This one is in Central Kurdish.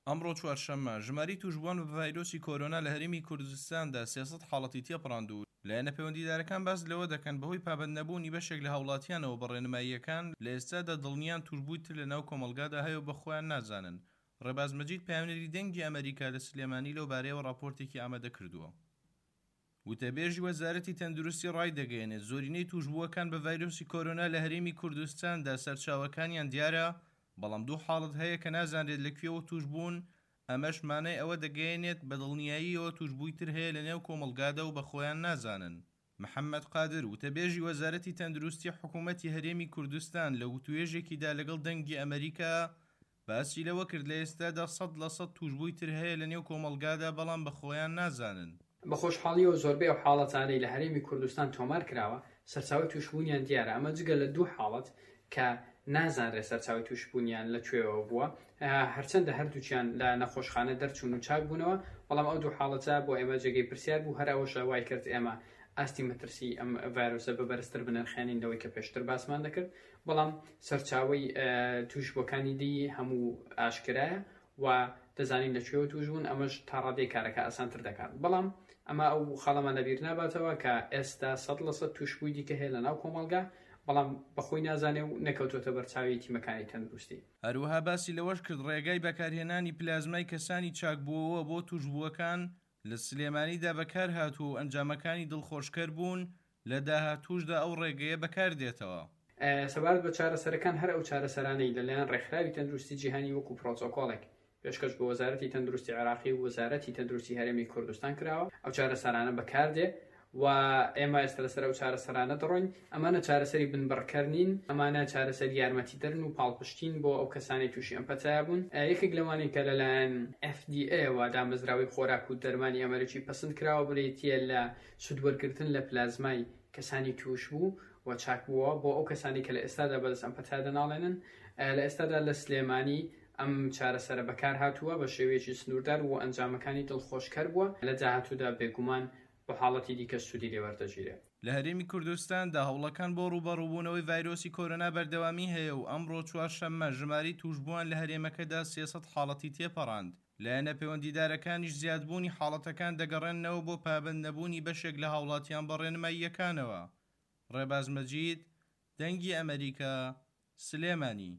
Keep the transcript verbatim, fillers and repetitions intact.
ئەمڕۆ چوارشەممە، ژمارەی تووشبووان بە ڤایرۆسی کۆرۆنا لە هەرێمی کوردستاندا سێ سەد حاڵەتی تێپەڕاند و لایەنە پەیوەندیدارەکان باس لەوە دەکەن بەهۆی پابەندنەبوونی بەشێک لە هاوڵاتیانەوە بە ڕێنماییەکان لە ئێستادا دڵنیان تووشبووی تر لەناو کۆمەڵگادا هەیە و بە خۆیان نازانن. ڕێباز مەجید پەیامنێری دەنگی ئەمەریکا لە سلێمانی لەو بارەیەوە ڕاپۆرتێکی ئامادە کردووە. وتەبێژی وەزارەتی تەندروستی ڕایدەگەیەنێت زۆرینەی تووشبووەکان بە ڤایرۆسی کۆرۆنا لە هەرێمی کوردستاندا سەرچاوەکانیان دیارە، بەڵام دوو حاڵەت هەیە کە نازانرێت لە کوێوە تووشبوون، ئەمەش مانای ئەوە دەگەیەنێت بە دڵنیاییەوە تووشبووی تر هەیە لەنێو کۆمەڵگادا و بە خۆیان نازانن. محەممەد قادر وتەبێژی وەزارەتی تەندروستی حکوومەتی هەرێمی کوردستان لە وتوێژێکیدا لەگەڵ دەنگی ئەمەریکا باسی لەوە کرد لە ئێستادا سەد لە سەد تووشبووی تر هەیە لەنێو کۆمەڵگادا بەڵام بە خۆیان نازانن. بە خۆشحاڵیەوە زۆربەی ئەو حاڵەتانەی لە هەرێمی کوردستان تۆمار کراوە سەرچاوەی تووشبوونیان دیارە، ئەمە جگە لە دوو حاڵەت کە نازانرێت سەرچاوەی تووشبوونیان لە کوێوە بووە، هەرچەندە هەردووچیان لە نەخۆشخانە دەرچوون و چاک بوونەوە، بەڵام ئەو دوو حاڵەتە بۆ ئێمە جێگەی پرسیار بوو. هەر ئەوەشە وای کرد ئێمە ئاستی مەترسی ئەم ڤایرۆسە بە بەرزتر بنرخێنین لەوەی کە پێشتر باسمان دەکرد، بەڵام سەرچاوەی تووشبووەکانی دی هەموو ئاشکرایە و دەزانین لە کوێوە تووش بوون، ئەمەش تا ڕادەی کارەکە ئاسانتر دەکات. بەڵام ئەمە ئەو خاڵەمان لەبیر ناباتەوە کە ئێستا سەد لە سەد تووشبووی دیکە هەیە لەناو کۆمەڵگا، بەڵام بەخۆی نازانێ و نەکەوتۆتە بەرچاوی تیمەکانی تەندروستی. هەروەها باسی لەوەش کرد ڕێگای بەکارهێنانی پلازمای کەسانی چاکبووەوە بۆ تووشبووەکان لە سلێمانیدا بەکار هاتووە و ئەنجامەکانی دڵخۆشکەر بوون، لە داهاتووشدا ئەو ڕێگەیە بەکار دێتەوە. سەبارەت بە چارەسەرەکان، هەر ئەو چارەسەرانەی لەلایەن ڕێکخراوی تەندروستی جیهانی وەکو پرۆتۆکۆڵێک پێشکەش بە وەزارەتی تەندروستی عێراقی و وەزارەتی تەندروستی هەرێمی کوردستان کراوە، ئەو چارەسەرانە بەکاردێ و ئێمە ئێستا لەسەر ئەو چارەسەرانە دەڕۆین. ئەمانە چارەسەری بنبڕکەر نین، ئەمانە چارەسەری یارمەتیدەرن و پاڵپشتین بۆ ئەو کەسانەی تووشی ئەم پەتایە بوون. یەکێک لەوانەی کە لەلایەن F D A وە دامەزراوەی خۆراک و دەرمانی ئەمریکی پەسند کراوە بریتییە لە سوودوەرگرتن لە پلازمای کەسانی تووش بوو و چاک بووە بۆ ئەو کەسانی کە لە ئێستادا بەدەست ئەم پەتایە دەناڵێنن. لە ئێستادا لە سلێمانی ئەم چارەسەرە بەکار هاتووە بە شێوەیەکی سنووردار و ئەنجامەکانی دڵخۆشکەر بووە. لە داهاتوودا بێگومان بۆ حاڵەتی دیکە سوودی لێوەردەگیرێت. لە هەرێمی کوردستاندا هەوڵەکان بۆ ڕووبەڕووبوونەوەی ڤایرۆسی کۆرۆنا بەردەوامی هەیە و ئەمڕۆ چوارشەممە ژمارەی تووشبووان لە هەرێمەکەدا سێ سەد حاڵەتی تێپەڕاند. لایەنە پەیوەندیدارەکانیش زیادبوونی حاڵەتەکان دەگەڕێننەوە بۆ پابەندنەبوونی بەشێک لە هاوڵاتیان بە ڕێنماییەکانەوە. ڕێباز مەجید، دەنگی ئەمەریکا، سلێمانی.